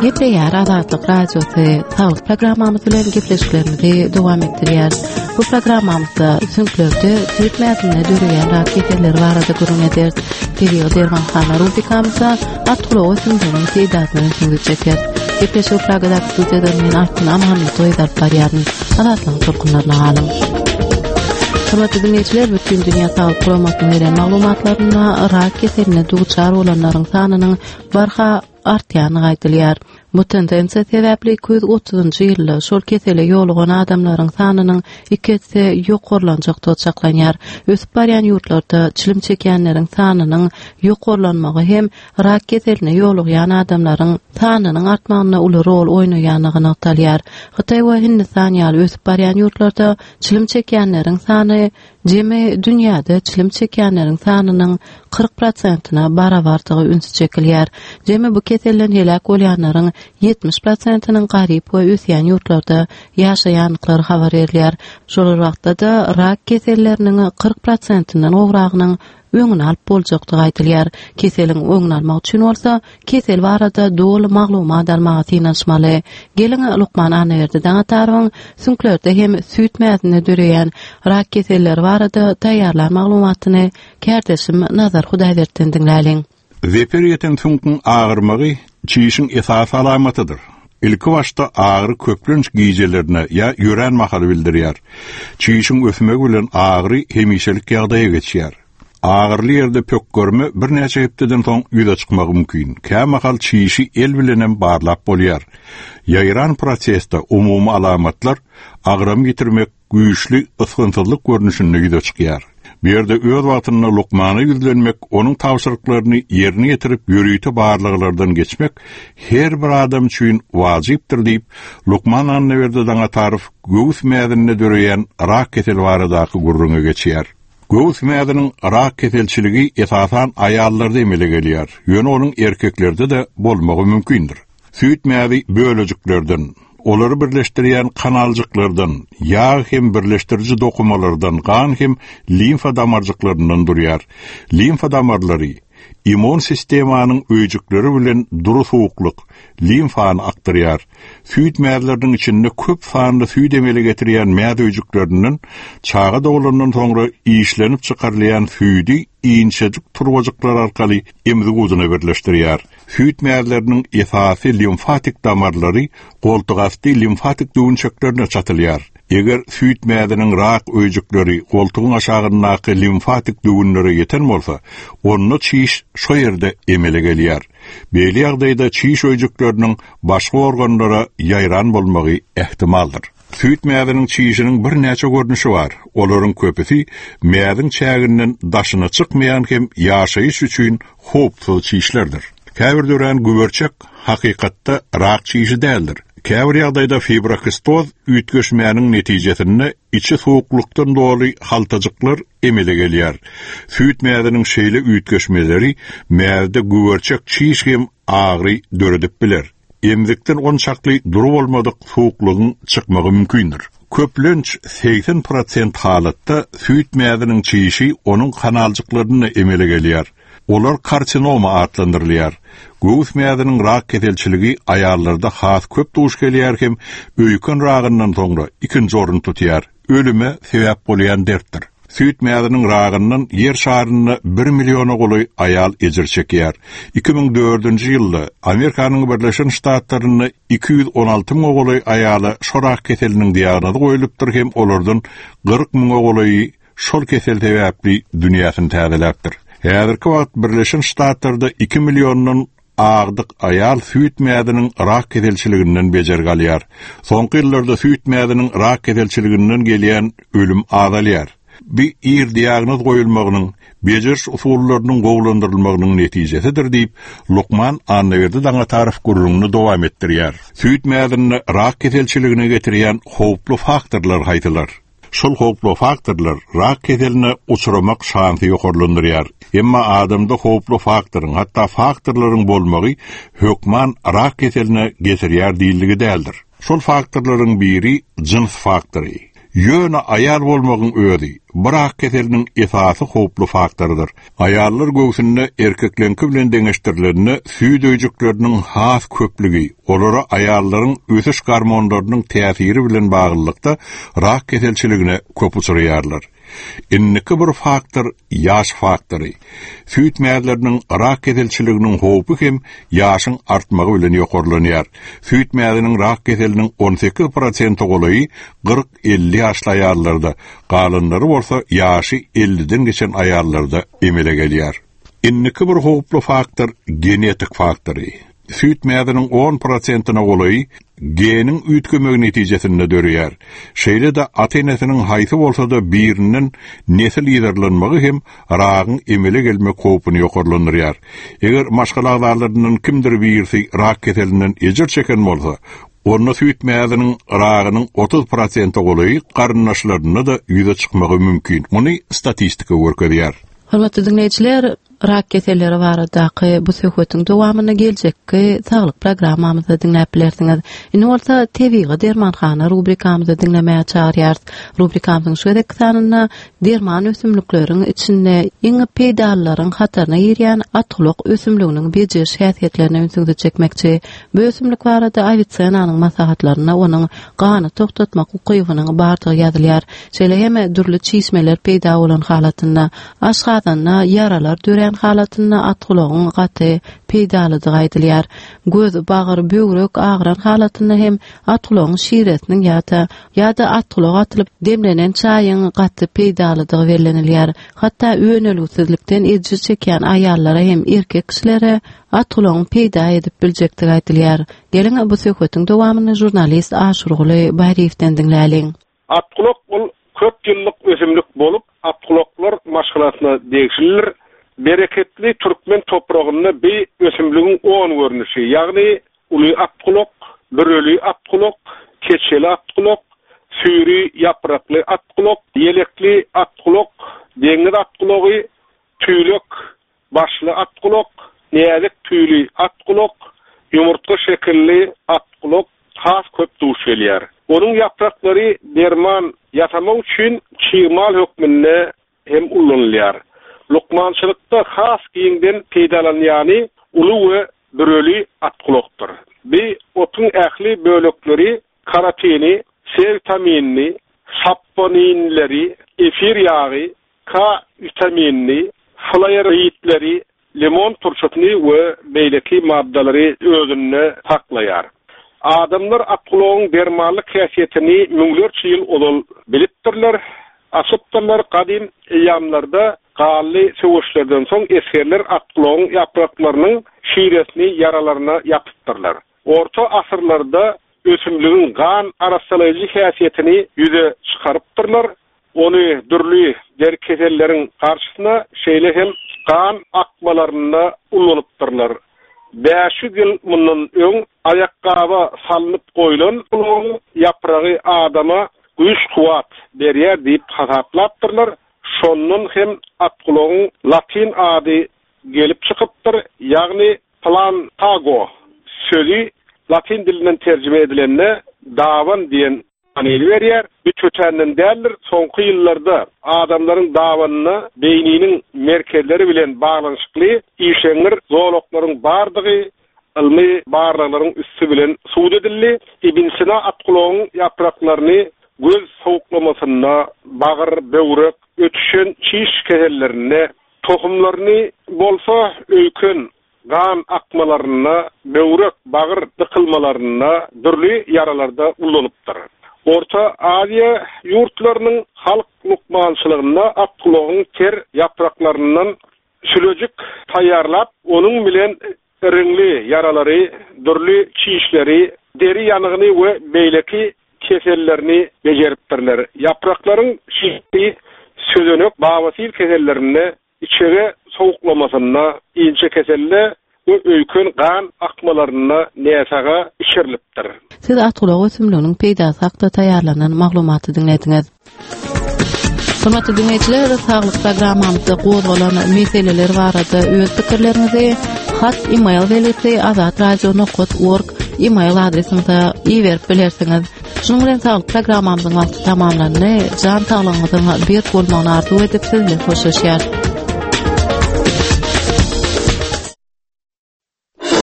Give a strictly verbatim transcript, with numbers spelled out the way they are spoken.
Gepleýär Azatlyk Radiosy saglyk programmamyz bilen gepleşiklerimizi dowam etdirýäris. Bu programmamyzda süňklerde süýt mäzinde döreýän rak keselleri barada gürrüň ederis. Tebigy dermanhana rubrikamyzda at gulagy ösümliginiň peýdasyna ünsüňizi çekeris. Gepleşigi Pragadaky studiýadan men Altyn Amanmyradowa alyp barýaryn. Azatlygyň tolkunlaryna galyň. Hormatly dinleýjiler, Bütindünýä Saglyk Guramasynyň beren maglumatlarynda rak keseline duçar bolanlaryň sanynyň barha artýandygy aýdylýar. Bu tendensiýa sebäpli iki ýüz otuzynjy ýylda şol kesele ýolugan adamlaryň sanynyň iki esse ýokarlanjakdygy çaklanýar. Ösüp barýan ýurtlarda çilim çekýänleriň sanynyň ýokarlanmagy hem rak keseline ýolugýan adamlaryň sanynyň artmagynda uly rol oýnaýandygy nygtalýar. Hytaý we Hindistan ýaly ösüp barýan ýurtlarda çilim çekýänleriň sany jemi dünýäde çilim çekýänleriň sanynyň kyrk prosentine barabardygy ünsi çekilýär. Jemi bu keselden heläk bolýanlaryň ýetmiş prosentiniň garyp we ösýän ýurtlarda ýaşaýandyklary habar berilýär. Şol bir wagtda-da rak keselleriniň kyrk prosentinden gowragynyň öňüni alyp boljakdygy aýdylýar. Keseliň öňüni almak üçin bolsa kesel barada doly maglumat almaga synanyşmaly. Geliň, lukman Annaberdi Daňatarowyň süňklerde hem süýt mäzinde döreýän rak keselleri barada taýýarlan maglumatyny kärdeşim Nazar Hudaýberdinden diňläliň. Zeper ýeten süňküň agyrmagy çişiň esasy alamatydyr. Ilki başda agyry köplenç gijelerine ýa ýörän mahaly bildirýär. Çişiň ösmegi bilen agyry hemişelik ýagdaýa geçýär. Agyrly ýerde pökgerme birnäçe hepdeden soň ýüze çykmagy mümkin. Kämahal çişi el bilenem barlap bolýar. Ýaýran prosesde umumy alamatlar agram ýitirmek, güýçli ysgynsyzlyk görnüşinde ýüze çykýar. Bu ýerde öz wagtynda lukmana ýüzlenmek, onuň tabşyryklaryny ýerine ýetirip ýörite barlaglardan geçmek her bir adam üçin wajypdyr diýip, lukman Annaberdi Daňatarow göwüs mäzinde döreýän rak keseli baradaky gürrüňe geçýär. Göwüs mäziniň rak keselçiligi esasan aýallarda emele gelýär, ýöne onuň erkeklerde-de bolmagy mümkindir. Süýt mäzi bölejiklerden, olary birleşdirýän kanaljyklardan, ýag hem birleşdiriji dokumalardan, gan hem limfa damarjyklaryndan durýar. Limfa damarlary immun sistemanyň öýjükleri bilen dury suwuklyk, limfany akdyrýar. Süýt mäzleriniň içinde köp sanly süýt emele getirýän mäz öýjüklerinden çaga doglandan soňra işlenip çykarylýan süýdi inçejik turbajyklar arkaly emzik ujuna birleşdirýär. Süýt mäzleriniň esasy limfatik damarlary goltugasty limfatik düwünçeklerine çatylýar. Eger süýt mäziniň rak öýjükleri goltugyň aşagyndaky limfatik düwünlere ýeten bolsa, onda çiş şo ýerde emele gelýär. Beýle ýagdaýda çiş öýjükleriniň başga organlara ýaýran bolmagy ähtimaldyr. Süýt mäziniň çişiniň birnäçe görnüşi bar. Olaryň köpüsi mäziň çäginden daşyna çykmaýan hem ýaşaýyş üçin howpsuz çişlerdir. Käbir dörän güberçek hakykatda rak çişi däldir. Käbir ýagdaýda fibrokistoz üýtgeşmäniň netijesinde içi suwuklykdan doly haltajyklar emele gelýär. Süýt mäziniň şeýle üýtgeşmeleri mäzde güberçek çiş hem agyry döredip biler. Emzikden onçakly dury bolmadyk suwuklygyň çykmagy mümkindir. Köplenç segsen prosent halatda süýt mäziniň çişi onuň kanaljyklarynda emele gelýär. Olar karsinoma atlandyrylýar. Göwüs mäziniň rak keselçiligi aýallarda has köp duş gelýär hem öýken ragyndan soňra ikinji orun tutýar. Ölüme sebäp bolýan dertdir. Süýt mäziniň ragyndan ýer şarynda bir milliona golaý aýal ejir çekýär. Iki müň dördünji ýylda Amerikanyň Birleşen Ştatlarynda iki ýüz on alty müňe golaý aýala şo rak keseliniň diagnozy goýlupdyr hem olardan kyrk müňe golaýy şol kesel sebäpli dünýäsini täzeläpdir. Häzirki wagt Birleşen Ştatlarda iki milliondan agdyk aýal süýt mäziniň rak keselçiliginden bejergi alýar. Soňky ýyllarda süýt mäziniň rak keselçiliginden gelýän ölüm azalýar. Bu ir diagnoz goýulmagynyň, bejeriş usullarynyň gowulandyrylmagynyň netijesidir diýip, lukman Annaberdi Daňatarow gürrüňini dowam etdirýär. Süýt mäzinde rak keselçiligine getirýän howply faktorlar haýsylar? Şol howply faktorlar rak keseline uçramak şansy ýokarlandyrýar. Emma adamda howply faktoryň, hatda faktorlaryň bolmagy hökman rak keseline getirýär diýildigi däldir. Şol faktorlaryň biri jyns faktory. Ýöne aýal bolmagyň özi bu rak keseliniň esasy howply faktorydyr. Aýallar göwsünde erkekleňki bilen deňeşdirilende süýt öýjükleriniň has köplügi, olara aýallaryň ösüş gormonlarynyň täsiri bilen baglylykda rak keselçiligine köp uçraýarlar. Indiki bir faktor ýaş faktory. Süýt mäzleriniň rak keselçiliginiň howpy hem ýaşyň artmagy bilen ýokarlanýar. Süýt mäziniň rak keseliniň on sekiz prosente golaýy kyrk elli ýaşly aýallarda, galanlary bolsa ýaşy elliden geçen aýallarda emele gelýär. Indiki bir howply faktor genetik faktory. Süýt mäziniň on prosentine golaýy geniň üýtgemegi netijesinde döreýär. Şeýle-de ata-enesiniň haýsy bolsa-da birinden nesil ýerlenmegi hem ragyň emele gelmek howpuny ýokarlandyrýar. Eger maşgala agzalaryndan kimdir birisi rak keselinden ejir çeken bolsa, onda süýt mäziniň ragynyň otuz prosente golaýy garyndaşlarynda da ýüze çykmagy mümkin. Muny statistika görkezýär. Hormatly dinleýjiler, rak keselleri baradaky bu söhbetiň dowamyny geljekki saglyk programmamyzda diňläp bilersiňiz. Indi bolsa tebigy dermanhana rubrikamyzda diňlemäge çagyrýarys. Rubrikamyzyň şu gezekki sanynda derman ösümlikleriň içinde iň peýdalylaryň hataryna girýän atgulak ösümliginiň bejeriş häsiýetlerine ünsüňizi çekmekçi. Bu ösümlik barada Awisenanyň maslahatlarynda onuň gany togtatmak ukybynyň bardygy ýazylýar. Şeýle hem dürli çişmeler peýda bolan halatynda, aşgazanda ýaralar dörän halatynda atgulagyň gaty peýdalydygy aýdylýar. Göz, bagyr, böwrek agyran halatynda hem atgulagyň şiresiniň ýa-da ýa-da atgulak atylyp demlenen çaýyň gaty peýdalydygy bellenilýär. Hatda önelgisizlikden ejir çekýän aýallara hem erkek kişilere atgulagyň peýda edip biljekdigi aýdylýar. Geliň bu söhbetiň dowamyny žurnalist Aşurguly Baýryýewden diňläliň. Atgulak ol köp ýyllyk ösümlik bolup, atgulaklar maşgalasyna degişlidir. Bereketli türkmen topragynda bir ösümligiň on görnüşi, ýagny uly atgulak, büreli atgulak, keçeli atgulak, süýri ýaprakly atgulak, ýelekli atgulak, deňiz atgulagy, tüýlek başly atgulak, näzik tüýli atgulak, ýumurtga şekilli atgulak has köp duş gelýär. Onuň ýapraklary derman ýasamak üçin çig mal hökmünde hem ulanylýar. Lukmançylykda has giňden peýdalanýany uly we büreli atgulakdyr. Bi otuň ähli bölekleri karotini, C vitaminini, saponinleri, efir ýagy, K vitaminini, flavonoidleri, limon turşusyny we beýleki maddalary özünde saklaýar. Adamlar atgulagyň dermanlyk häsiýetini müňlerçe ýyl ozal bilipdirler, açypdyrlar. Gadym eýýamlarda gally söweşlerden soň esgerler atgulagyň ýapraklarynyň şiresini ýaralaryna ýapypdyrlar. Orta asyrlarda ösümligiň gan arassalaýjy häsiýetini ýüze çykarypdyrlar. Ony dürli deri keselleriň garşysyna, şeýle hem gan akmalarynda ulanypdyrlar. Bäş ýüz ýyl mundan öň aýakgaba salnyp goýlan gulagyň ýapragy adama güýç-kuwwat berýär diýip hasaplapdyrlar. Şondan hem atgulagyň latyn ady gelip çykypdyr, ýagny plantago sözi latyn dilinden terjime edilende dawan diýen manyny berýär. Bu tötänden däldir. Soňky ýyllarda adamlaryň dawanyna beýniniň merkezleri bilen baglanyşykly işeňňir zolaklaryň bardygy ylmy barlaglaryň üsti bilen subut edildi. Ibn Sina atgulagyň ýapraklaryny göz sowuklamasynda, bagyr, böwrek, ötüşen çiş kesellerinde, tohumlaryny bolsa öýken gan akmalarynda, böwrek, bagyr dykylmalarynda, dürli ýaralarda ulanypdyr. Orta Aziýa ýurtlarynyň halk lukmançylygynda atgulagyň ter ýapraklaryndan sülejik taýýarlap, onuň bilen iriňli ýaralary, dürli çişleri, deri ýanygyny we beýleki kesellerini bejeripdirler. Ýapraklaryň şişi sözenek babasyl kesellerinde, içege sowuklamasynda, inçe keselde we öýken gan akmalarynda näsaga içirilipdir. Siz atgulak ösümliginiň peýdasy hakda taýýarlanan maglumaty diňlediňiz. Hormatly dinleýjiler, saglyk programmamyzda gozgalan meseleler barada öz pikirleriňizi hat e-mail belgisi azatradio nokta org e-mail adresimize iberip bilersiňiz. Şunuň bilen saglyk programmamyzyň wagty tamamlandy. Jan saglygyňyzyň berk bolmagyny arzuw edip siz bilen hoşlaşýarys.